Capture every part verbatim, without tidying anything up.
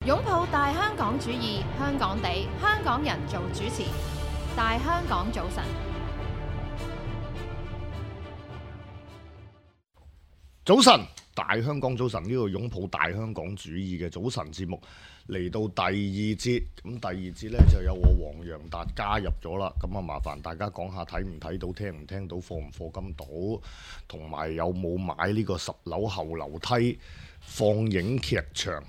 擁抱大香港主義，香港地，香港人做主持。大香港早晨，早晨，大香港早晨，呢個擁抱大香港主義嘅早晨節目嚟到第二節，咁第二節呢，就有我黃洋達加入咗啦，咁啊麻煩大家講下睇唔睇到、聽唔聽到、課唔課金到，同埋有冇買呢個十樓後樓梯放映劇場。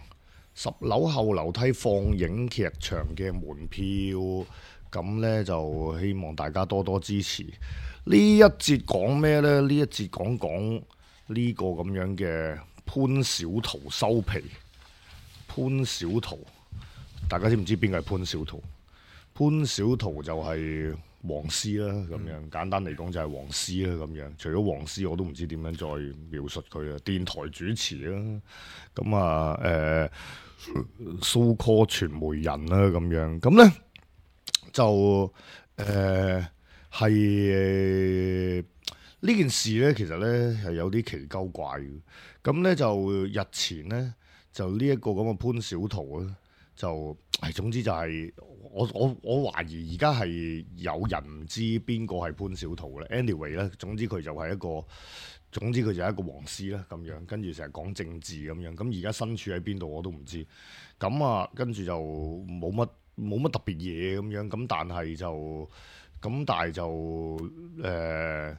十樓後樓梯放映劇場嘅門票，咁呢就希望大家多多支持。呢一節講咩呢？呢一節講講呢個咁樣嘅潘小桃收皮。潘小桃，大家知唔知邊個係潘小桃？潘小桃就係黃絲啦，咁樣、嗯、簡單嚟講就係黃絲啦，咁樣。除咗黃絲，我都唔知點樣再描述佢啦。電台主持啦，咁啊誒。so call 傳媒人啦，咁樣咁咧就誒係呢件事咧，其實咧係有啲奇鳩怪嘅。咁咧就日前咧就呢一個咁嘅潘小桃咧，就係總之就係、是、我我我懷疑而家係有人唔知邊個係潘小桃咧。anyway 咧，總之佢就係一個。總之佢就係一個黃絲啦，咁樣跟住成日講政治咁樣，咁而家身處喺邊度我都唔知，咁啊跟住就冇乜冇乜特別嘢咁樣，咁但係就咁但係就誒、呃、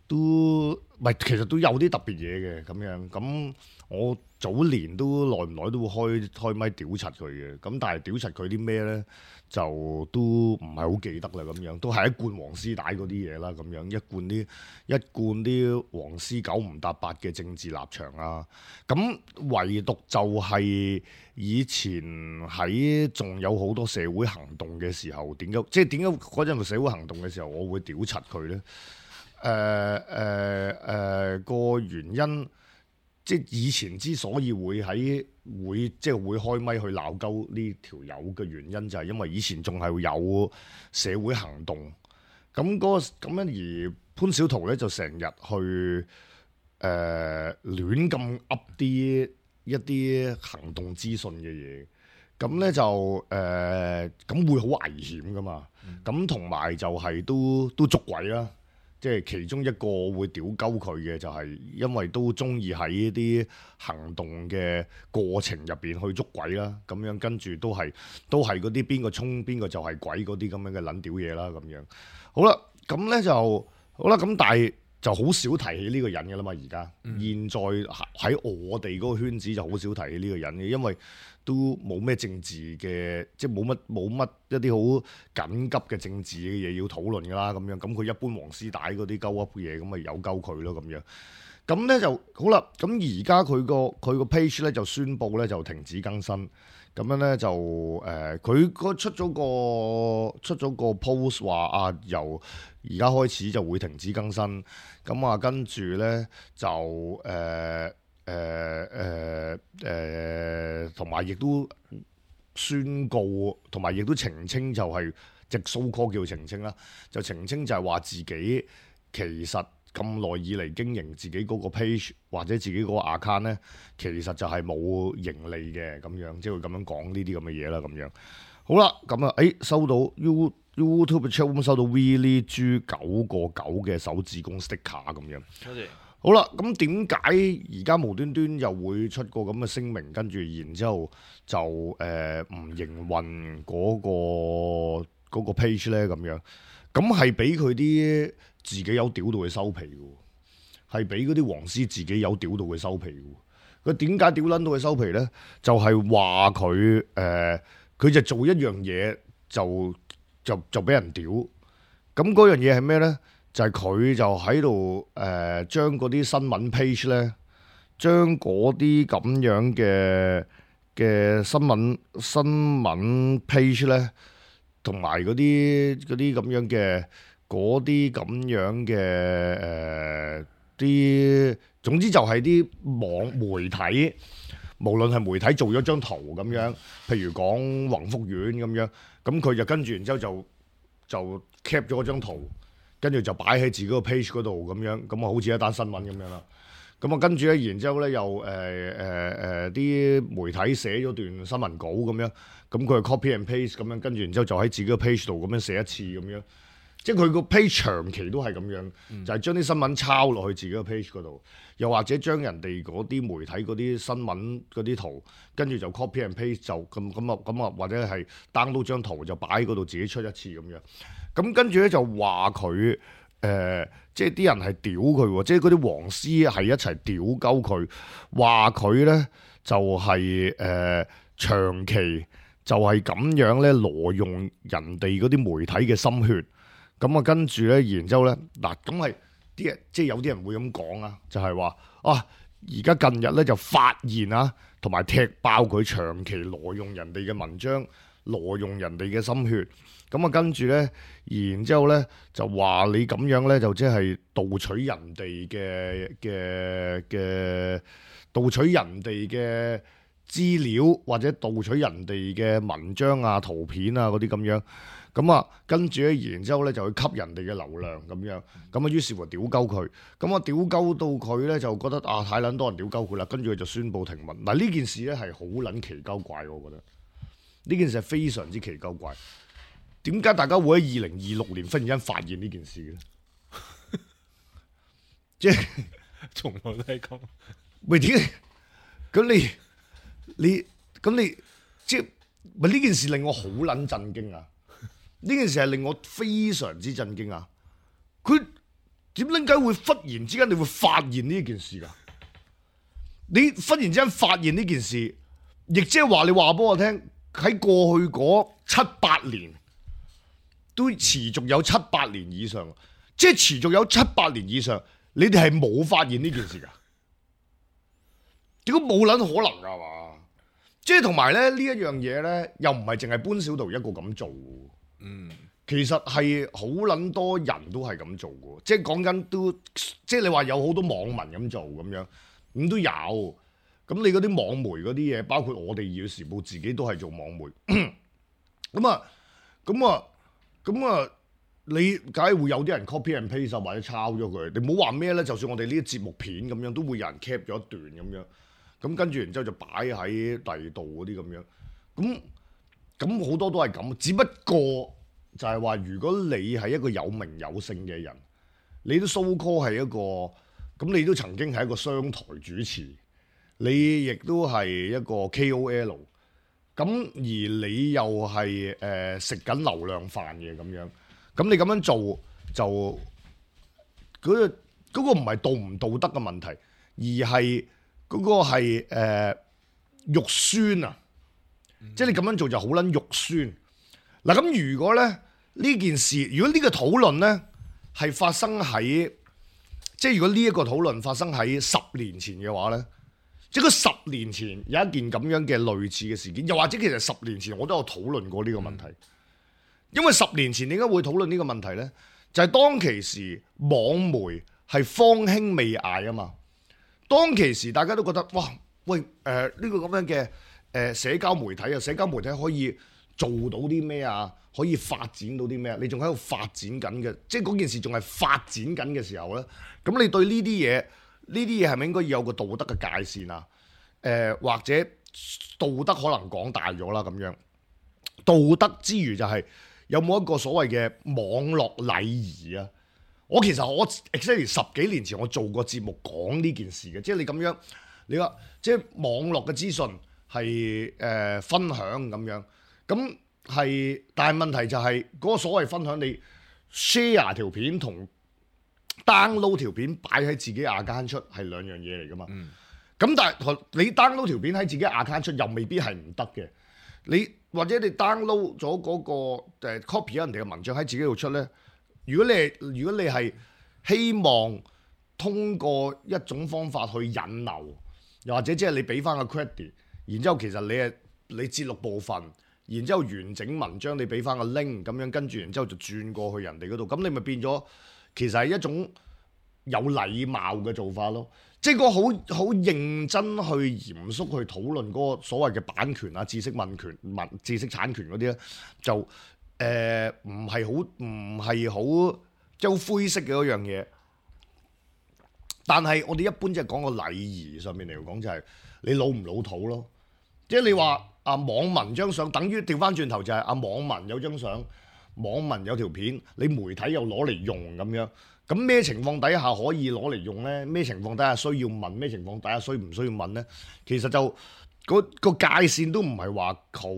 都唔係，其實都有啲特別嘢嘅咁樣，咁我早年都耐唔耐都會開開咪屌柒佢嘅，咁但係屌柒佢啲咩咧？就都唔係好記得啦，咁樣都係一貫黃絲帶嗰啲嘢啦，咁樣一貫啲一貫啲黃絲九唔搭八嘅政治立場啊，咁唯獨就係以前喺仲有好多社會行動嘅時候，點解即係點解嗰陣社會行動嘅時候，我會屌柒佢咧？誒誒誒個原因。即係以前之所以會喺會即係會開咪去鬧鳩呢條友嘅原因，就係因為以前仲係有社會行動，咁嗰、嗰個咁樣而潘小桃咧就成日去誒、呃、亂咁噏啲一啲行動資訊嘅嘢，咁咧就誒咁、呃、會好危險噶嘛，咁同埋就係都都捉鬼啦。即係其中一個會屌鳩佢嘅，就係因為都中意喺啲行動嘅過程入邊去捉鬼啦，咁樣跟住都係都係嗰啲邊個衝邊個就係鬼嗰啲咁樣嘅撚屌嘢啦，咁樣好啦，咁咧就好啦，咁但係就好少提起呢個人嘅啦嘛，而家、嗯、現在喺我哋嗰個圈子就好少提起呢個人嘅，因為都冇咩政治嘅，即係冇乜冇乜一啲好緊急嘅政治嘅嘢要討論㗎啦，咁樣咁佢一般黃絲帶嗰啲鳩噏嘢，咁咪有鳩佢咯，咁樣咁咧就好啦。咁而家佢個佢個 page 咧就宣布咧就停止更新，咁樣咧就誒佢嗰出咗個出咗個 post 話啊，由而家開始就會停止更新，咁啊跟住咧就誒。呃誒誒誒，同埋亦都宣告，同埋亦都澄清，就係即係 so call 叫澄清啦，就澄清就係話自己其實咁耐以嚟經營自己嗰個 page 或者自己嗰個 account 咧，其實就係冇盈利嘅咁樣，即係會咁樣講呢啲咁嘅嘢啦，咁樣好啦，咁啊，誒收到 You YouTube channel 收到 Willie 豬九個九嘅手指公 sticker 咁樣，多謝。好啦，咁點解而家無端端又會出個咁嘅聲明，跟住然之後就誒唔、呃、營運嗰、嗰個嗰個 page 咧咁樣？咁係俾佢啲自己有屌到佢收皮嘅，係俾嗰啲黃絲自己有屌到佢收皮嘅。佢點解屌撚到佢收皮咧？就係話佢誒，佢、呃、就做一樣嘢就就就俾人屌。咁嗰樣嘢係咩咧？就係佢就喺度誒，將嗰啲新聞 page 咧，將嗰啲咁樣嘅嘅新聞新聞 page 咧，同埋嗰啲嗰啲咁樣嘅嗰啲咁樣嘅誒啲，總之就係啲網媒體，無論係媒體做咗張圖咁樣，譬如講宏福苑咁樣，咁佢就跟住然之後就就 cap 咗嗰張圖。跟住就擺喺自己個 page 嗰度咁樣，咁啊好似一單新聞咁樣啦。咁啊跟住咧，然之後咧又誒誒誒啲媒體寫咗段新聞稿咁樣，咁佢係 copy and paste 咁樣，跟住然之後就喺自己個 page 度咁樣寫一次咁樣，即係佢個 page 長期都係咁樣，嗯、就係將啲新聞抄落去自己個 page 嗰度，又或者將人哋嗰啲媒體嗰啲新聞嗰啲圖，跟住就 copy and paste 就咁咁啊咁啊，或者係 download 張圖就擺喺嗰度自己出一次咁樣，咁跟住咧就話佢。誒、呃，即係啲人係屌佢喎，即係嗰啲黃絲係一齊屌鳩佢，話佢咧就係、是、誒、呃、長期就係咁樣咧挪用人哋嗰啲媒體嘅心血，咁啊跟住咧，然之後咧嗱，咁係啲人即係有啲人會咁講啊，就係、是、話啊，而家近日咧就發現啊，同埋踢爆佢長期挪用人哋嘅文章，挪用人哋嘅心血。咁啊，跟住咧，然之後咧就話你咁樣咧，就即係盜取人哋嘅嘅嘅盜取人哋嘅資料，或者盜取人哋嘅文章啊、圖片啊嗰啲咁樣。咁啊，跟住咧，然之後咧就去吸人哋嘅流量咁樣。咁啊，於是乎屌鳩佢。咁啊，屌鳩到佢咧就覺得啊，太撚多人屌鳩佢啦。跟住佢就宣布停文。嗱，呢件事咧係好撚奇鳩怪，我覺得呢件事係非常之奇鳩怪。點解大家會喺二零二六年忽然間發現呢件事咧？即係從來都係咁。喂，點解？咁你你咁你即係咪呢件事令我好撚震驚啊？呢件事係令我非常之震驚啊！佢點撚解會忽然之間你會發現呢件事㗎？你忽然之間發現呢件事，亦即係話你話俾我聽喺過去嗰七八年。都持續有七八年以上，即係持續有七八年以上，你哋係冇發現呢件事㗎？點解冇撚可能㗎嘛？即係同埋咧呢一樣嘢咧，又唔係淨係潘小桃一個咁做。嗯，其實係好撚多人都係咁做嘅，即係講緊都，即係你話有好多網民咁做咁樣，咁都有。咁你嗰啲網媒嗰啲嘢，包括我哋《二月時報》自己都係做網媒。咁啊，咁啊。咁啊，你梗係會有啲人 copy and paste 或者抄咗佢。你唔好話咩咧，就算我哋呢啲節目片咁樣，都會有人 cap 咗一段咁樣。咁跟住然之後就擺喺第二度嗰啲咁樣。咁咁好多都係咁，只不過就係話，如果你係一個有名有姓嘅人，你都 so call 係一個，咁你都曾經係一個商台主持，你亦都係一個 K O L。咁而你又係誒食緊流量飯嘅咁樣，咁你咁樣做就嗰個嗰個唔係道唔道德嘅問題，而係嗰個係誒肉酸啊！嗯、即係你咁樣做就好撚肉酸。嗱咁如果咧呢件事，如果呢個討論咧係發生喺，即係如果呢一個討論發生喺十年前嘅話咧。即係佢十年前有一件咁樣嘅類似嘅事件，又或者其實十年前我都有討論過呢個問題。因為十年前點解會討論呢個問題呢？就係、是、當其時網媒係方興未艾啊嘛。當其時大家都覺得哇，喂誒呢、呃呢個咁樣嘅誒、呃、社交媒體啊，社交媒體可以做到啲咩啊？可以發展到啲咩啊？你仲喺度發展緊嘅，即係嗰件事仲係發展緊嘅時候呢。咁你對呢啲嘢？呢啲嘢係咪應該要有個道德嘅界線啊？誒、呃、或者道德可能講大咗啦咁樣。道德之餘就係有冇一個所謂嘅網絡禮儀啊？我其實我 exactly 十幾年前我做過節目講呢件事嘅，即係你咁樣你話即係網絡嘅資訊係誒、呃、分享咁樣，咁係但係問題就係、是、嗰、那個所謂分享你 share 條片同 download 條片擺喺自己 account 出係兩樣嘢嚟噶嘛？咁、嗯、但係你 download 條片喺自己 account 出又未必係唔得嘅。你或者你 download 咗嗰個誒 copy 咗人哋嘅文章喺自己度出咧，如果你係如果你係希望通過一種方法去引流，又或者即係你俾翻個 credit，然之後其實你係你節錄部分，然之後完整文章你俾翻個 link 咁樣，跟住然之後就轉過去人哋嗰度，咁你咪變咗。其實係一種有禮貌嘅做法咯，即係個好好認真去嚴肅去討論嗰個所謂嘅版權啊、知識問權、文知識產權嗰啲咧，就誒唔係好唔係好即係好灰色嘅嗰樣嘢。但係我哋一般即係講個禮儀上面嚟講，就係你老唔老土咯。即係你話啊網民張相，等於調翻轉頭就係啊網民有張相，網民有條片，你媒體又攞嚟用咁樣。咁咩情況底下可以攞嚟用呢？咩情況底下需要問？咩情況底下需唔需要問呢？其實就個個界線都唔係話好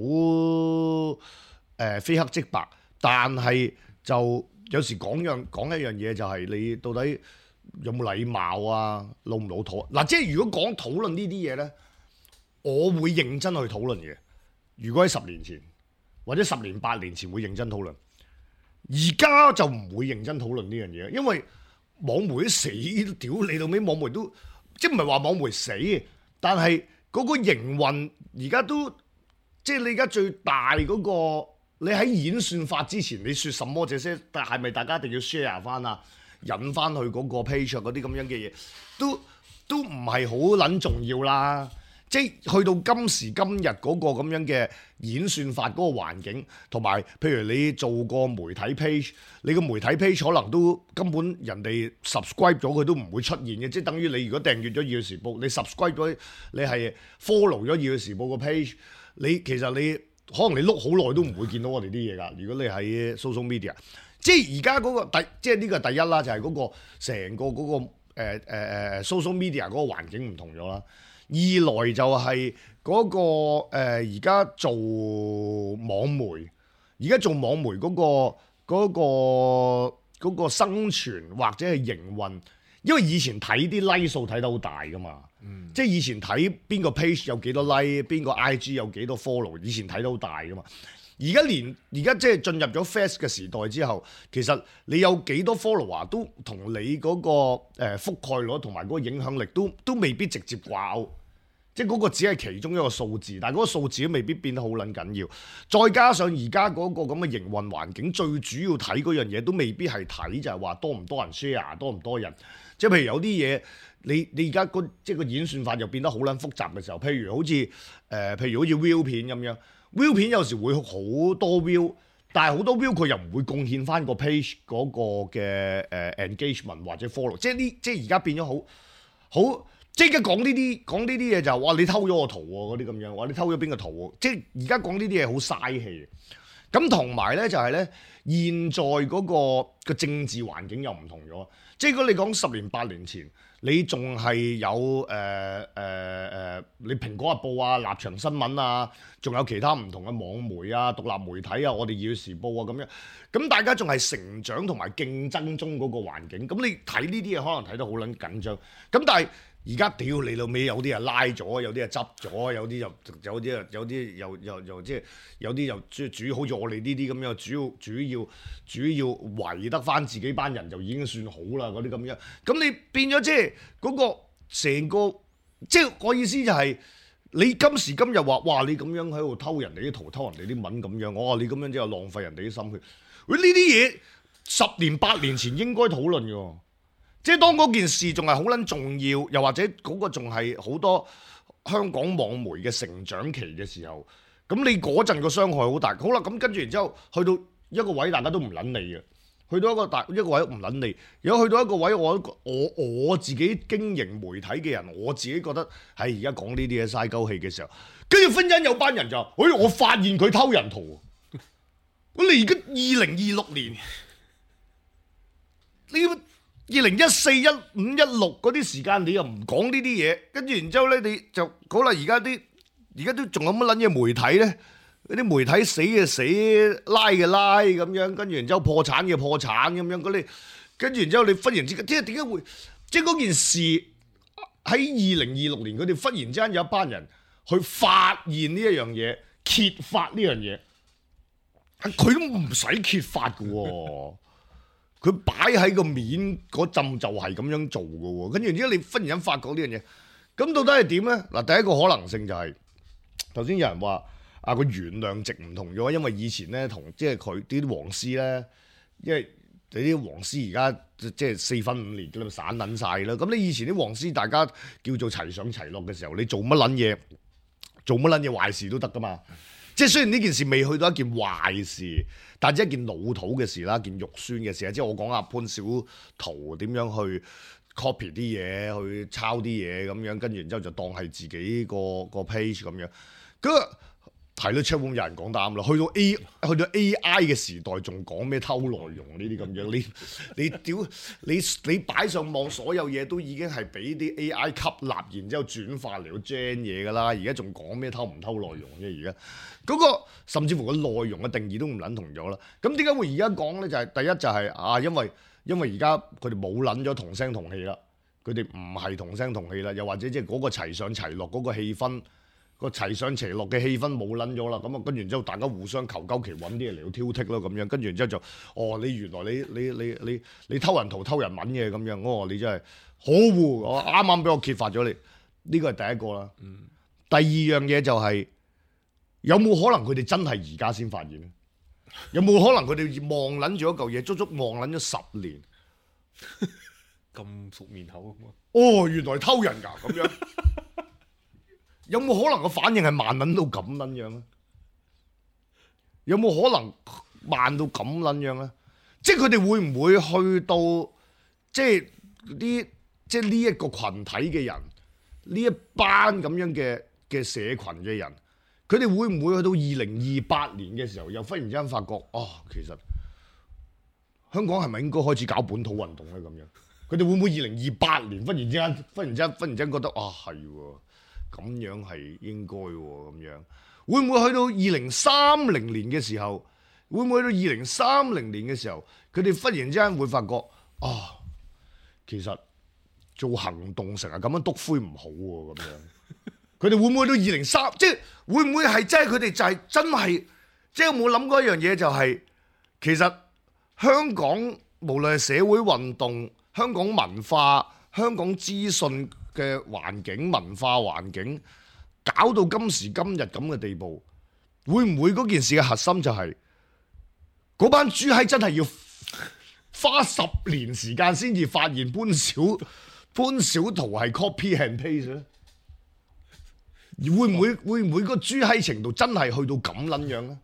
誒非黑即白，但係就有時講樣講一樣嘢就係你到底有冇禮貌啊，老唔老土啊？嗱，即係如果講討論呢啲嘢呢，我會認真去討論嘅。如果喺十年前或者十年八年前會認真討論。而家就唔會認真討論呢樣嘢，因為網媒都死，屌你到尾，網媒都即係唔係話網媒死，但係嗰個營運而家都即係你而家最大嗰個，你喺演算法之前，你説什麼這些，但係咪大家一定要 share 翻啊，引翻去嗰個 page 嗰啲咁樣嘅嘢，都都唔係好撚重要啦。即係去到今時今日嗰個咁樣嘅演算法嗰個環境，同埋譬如你做個媒體 page，你個媒體 page 可能都根本人哋 subscribe 咗佢都唔會出現嘅，即係等於你如果訂閱咗《二月時報》，你 subscribe 咗，你係 follow 咗《二月時報》個 page，你其實你可能你碌好耐都唔會見到我哋啲嘢㗎。如果你喺 social media，即係而家嗰個第，即係呢個第一啦，就係嗰個成個嗰個誒誒誒 social media 嗰個環境唔同咗啦。二來就係嗰個誒而家做網媒，而家做網媒嗰個嗰個嗰個生存或者係營運，因為以前睇啲 like 數睇得好大噶嘛，嗯、即係以前睇邊個 page 有幾多 like， 邊個 I G 有幾多 follow， 以前睇得好大噶嘛。而家連而家即係進入咗 Face 嘅時代之後，其實你有幾多 follower 都同你嗰個誒覆蓋率同埋嗰個影響力都都未必直接掛鈎。即係嗰個只係其中一個數字，但係嗰個數字都未必變得好撚緊要。再加上而家嗰個咁嘅營運環境，最主要睇嗰樣嘢都未必係睇就係話多唔多人 share， 多唔多人。即係譬如有啲嘢，你你而家個即係個演算法又變得好撚複雜嘅時候，譬如好似誒、呃，譬如好似 view 片咁樣 view 片有時會好多 view， 但係好多 view 佢又唔會貢獻翻個 page 嗰個嘅誒 engagement 或者 follow。即係呢，即係而家變咗好好。即係而家講呢啲講呢啲嘢就話你偷咗我圖喎，嗰啲咁樣，話你偷咗邊個圖喎？即係而家講呢啲嘢好嘥氣。咁同埋咧就係咧，現在嗰個個政治環境又唔同咗。即係如果你講十年八年前，你仲係有誒誒誒，你蘋果日報啊、立場新聞啊，仲有其他唔同嘅網媒啊、獨立媒體啊，我哋《二月時報》啊咁樣，咁大家仲係成長同埋競爭中嗰個環境。咁你睇呢啲嘢可能睇得好撚緊張。咁但係而家屌你老味，有啲人拉咗，有啲人執咗，有啲又有啲啊，有啲又又又即係有啲又主主好似我哋呢啲咁樣，主要主要主要圍得翻自己班人就已經算好啦，嗰啲咁樣。咁你變咗即係嗰個成個，即係我意思就係、是、你今時今日話哇，你咁樣喺度偷人哋啲圖、偷人哋啲文咁樣，我話你咁樣即係浪費人哋啲心血。喂，呢啲嘢十年八年前應該討論嘅。即係當嗰件事仲係好撚重要，又或者嗰個仲係好多香港網媒嘅成長期嘅時候，咁你嗰陣個傷害好大。好啦，咁跟住然之後去到一個位，大家都唔撚理嘅。去到一個大一個位唔撚理。如果去到一個位，我我我自己經營媒體嘅人，我自己覺得係而家講呢啲嘢嘥鳩氣嘅時候，跟住忽然間有班人就話：哎，我發現佢偷人圖。我你而家二零二六年，你要？二零一四、一五、一六嗰啲時間，你又唔講呢啲嘢，跟住然之後咧，你就好啦。而家啲而家都仲有乜撚嘢媒體咧？嗰啲媒體死嘅死，拉嘅拉咁樣，跟住然之後破產嘅破產咁樣嗰啲，跟住然之後你忽然之間，即係點解會？即係嗰件事喺二零二六年，佢哋忽然之間有一班人去發現呢一樣嘢，揭發呢樣嘢，佢都唔使揭發嘅喎。佢擺喺個面嗰陣就係咁樣做嘅喎，跟住然之後你忽然間發覺呢樣嘢，咁到底係點咧？嗱，第一個可能性就係頭先有人話啊，個原諒值唔同咗，因為以前咧同即係佢啲黃絲咧，因為你啲黃絲而家即係四分五裂咁散撚晒啦。咁你以前啲黃絲大家叫做齊上齊落嘅時候，你做乜撚嘢，做乜撚嘢壞事都得噶嘛。即係雖然呢件事未去到一件壞事，但係一件老土嘅事啦，一件肉酸嘅事。即係我講阿潘小桃點樣去 copy 啲嘢，去抄啲嘢咁樣，跟住然之後就當係自己個個 page 咁樣。咁係咯 chatroom 有人講得啱啦。去到 A 去到 A I 嘅時代，仲講咩偷內容呢啲咁樣？你你屌你你擺上網所有嘢都已經係俾啲 A I 吸納，然之後轉化嚟到 gen 嘢㗎啦。而家仲講咩偷唔偷內容啫？而家嗰個甚至乎個內容嘅定義都唔撚同咗啦。咁點解會而家講咧？就係、是、第一就係、是、啊，因為因為而家佢哋冇撚咗同聲同氣啦，佢哋唔係同聲同氣啦，又或者即係嗰個齊上齊落嗰個氣氛。個齊上齊落嘅氣氛冇撚咗啦，咁啊跟住之後大家互相求鳩其揾啲嘢嚟到挑剔咯，咁樣跟住之後就哦你原來你你你你你偷人圖偷人文嘅咁樣，哦你真係可惡，我啱啱俾我揭發咗你，呢個係第一個啦。嗯、第二樣嘢就係、是、有冇可能佢哋真係而家先發現咧？有冇可能佢哋望撚住一嚿嘢，足足望撚咗十年，咁熟面口啊？哦原來偷人㗎咁樣。有冇可能個反應係慢撚到咁撚樣咧？有冇可能慢到咁撚樣咧？即係佢哋會唔會去到即係啲即係呢一個群體嘅人，呢一班咁樣嘅嘅社群嘅人，佢哋會唔會去到二零二八年嘅時候，又忽然之間發覺哦，其實香港係咪應該開始搞本土運動咧？咁樣佢哋會唔會二零二八年忽然之間、忽然之間、忽然之間覺得啊係喎？咁樣係應該喎，咁樣會唔會去到二零三零年嘅時候？會唔會去到二零三零年嘅時候，佢哋忽然之間會發覺啊，其實做行動成日咁樣篤灰唔好喎，咁樣佢哋會唔會去到二零三？即係會唔會係真係佢哋就係真係？即係有冇諗過一樣嘢，就係其實香港無論係社會運動、香港文化、香港資訊嘅環境、文化環境，搞到今時今日咁嘅地步，會唔會嗰件事嘅核心就係嗰班豬閪真係要花十年時間先至發現潘小潘小濤係 copy and paste 咧？會唔會會唔會個豬閪程度真係去到咁撚樣咧？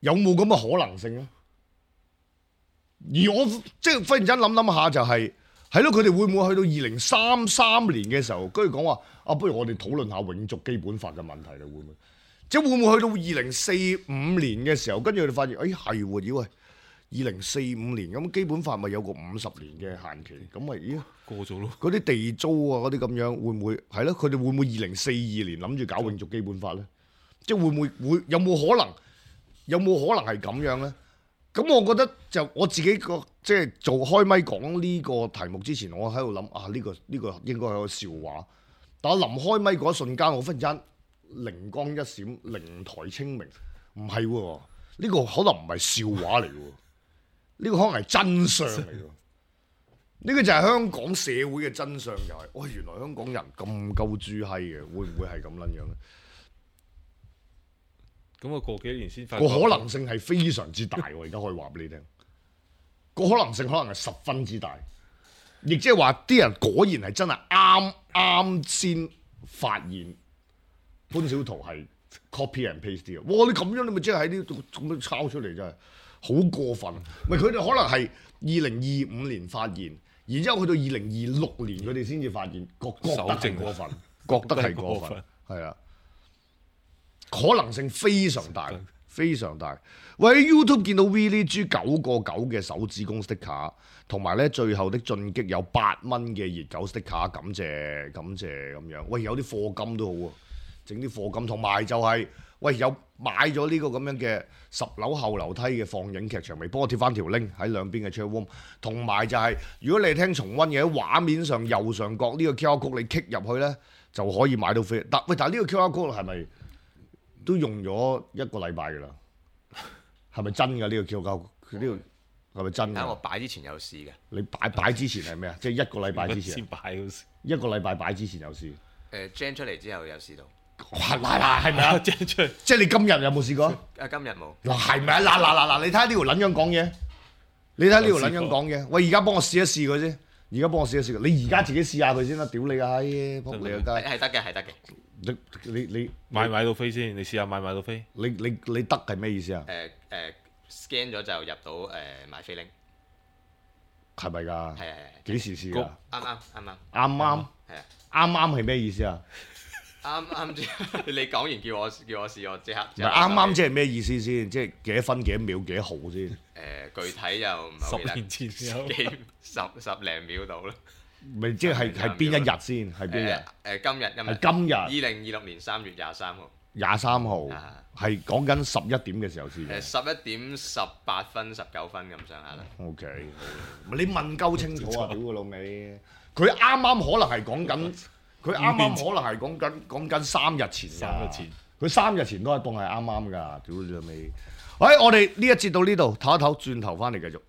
有冇咁嘅可能性咧？而我即係忽然間諗諗下就係、是。係咯，佢哋會唔會去到二零三三年嘅時候，跟住講話啊，不如我哋討論下永續基本法嘅問題啦，會唔會？即係會唔會去到二零四五年嘅時候，跟住佢哋發現，哎係喎，妖喂，二零四五年咁基本法咪有個五十年嘅限期，咁咪咦過咗咯？嗰啲地租啊，嗰啲咁樣會唔會係咯？佢哋會唔會二零四二年諗住搞永續基本法咧？即係會唔會會有冇可能？有冇可能係咁樣咧？咁我覺得就我自己個即係做開咪講呢個題目之前，我喺度諗啊呢、呢個呢、呢個應該係個笑話。但我臨開咪嗰一瞬間，我忽然間靈光一閃，靈台清明，唔係喎，呢、呢個可能唔係笑話嚟喎，呢、呢個可能係真相嚟喎。呢個就係香港社會嘅真相，就係、是，哇、哎！原來香港人咁鳩豬閪嘅，會唔會係咁撚樣咧？咁啊，過幾年先發覺個可能性係非常之大，我而家可以話俾你聽，個可能性可能係十分之大，亦即係話啲人果然係真係啱啱先發現潘小濤係 copy and paste 嘅。哇！你咁樣你咪即係喺呢度咁樣抄出嚟，真係好過分。咪佢哋可能係二零二五年發現，然之後去到二零二六年佢哋先至發現，覺覺得係過分，覺得係過分，係啊。可能性非常大，非常大。喂，喺 YouTube 見到 Willie 豬九個九嘅手指公 sticker，同埋咧最後的進擊有八蚊嘅熱狗 sticker，感謝感謝咁樣。喂，有啲課金都好啊，整啲課金，同埋就係、是、喂有買咗呢個咁樣嘅十樓後樓梯嘅放映劇場，未幫我貼翻條 link 喺兩邊嘅 chat room。同埋就係、是、如果你係聽重溫嘅，喺畫面上右上角呢個 Q R code 你 click 入去咧就可以買到飛。但喂，但係呢個 Q R code 係咪？都用咗一個禮拜㗎啦，係咪真㗎？呢、呢個 Q R code 佢呢個係咪真㗎？我擺之前有試嘅。你擺擺之前係咩啊？即係一個禮拜之前。先擺嗰時。一個禮拜擺之前有試。誒 gen 出嚟之後有試到。係嗱嗱係咪啊 gen 出嚟？即係你今日有冇試過？啊今日冇。嗱係咪啊？嗱嗱嗱嗱，你睇下呢條撚樣講嘢，你睇下呢條撚樣講嘢。喂，而家幫我試一試佢先，而家幫我試一試佢。你而家自己試下佢先啦，屌你啊！閪，仆你個街。係得嘅，係得嘅。你你你買買到飛先，你試下買買到飛。你你你得係咩意思啊？誒誒 scan 咗就入到誒買飛 link。係咪㗎？係係係。幾時試㗎？啱啱啱啱。啱啱係啊。啱啱係咩意思啊？啱啱即你講完叫我叫我試，我即刻。唔係啱啱即係咩意思先？即係幾多分幾多秒幾多毫先？誒、呃，具體又唔係好記得。十年前有幾十十零秒到啦。咪即係係邊一日先？係邊日？誒、呃、今日今日。係今日。二零二六年三月廿三號。廿三號啊係講緊十一點嘅時候試嘅。誒十一點十八分十九分咁上下啦。O K，你問夠清楚啊！屌個老味，佢啱啱可能係講緊，佢啱啱可能係講緊講緊三日前㗎。三日前，佢三日前都係當係啱啱㗎。屌你老味，喂，我哋呢一節到呢度，唞一唞，轉頭翻嚟繼續。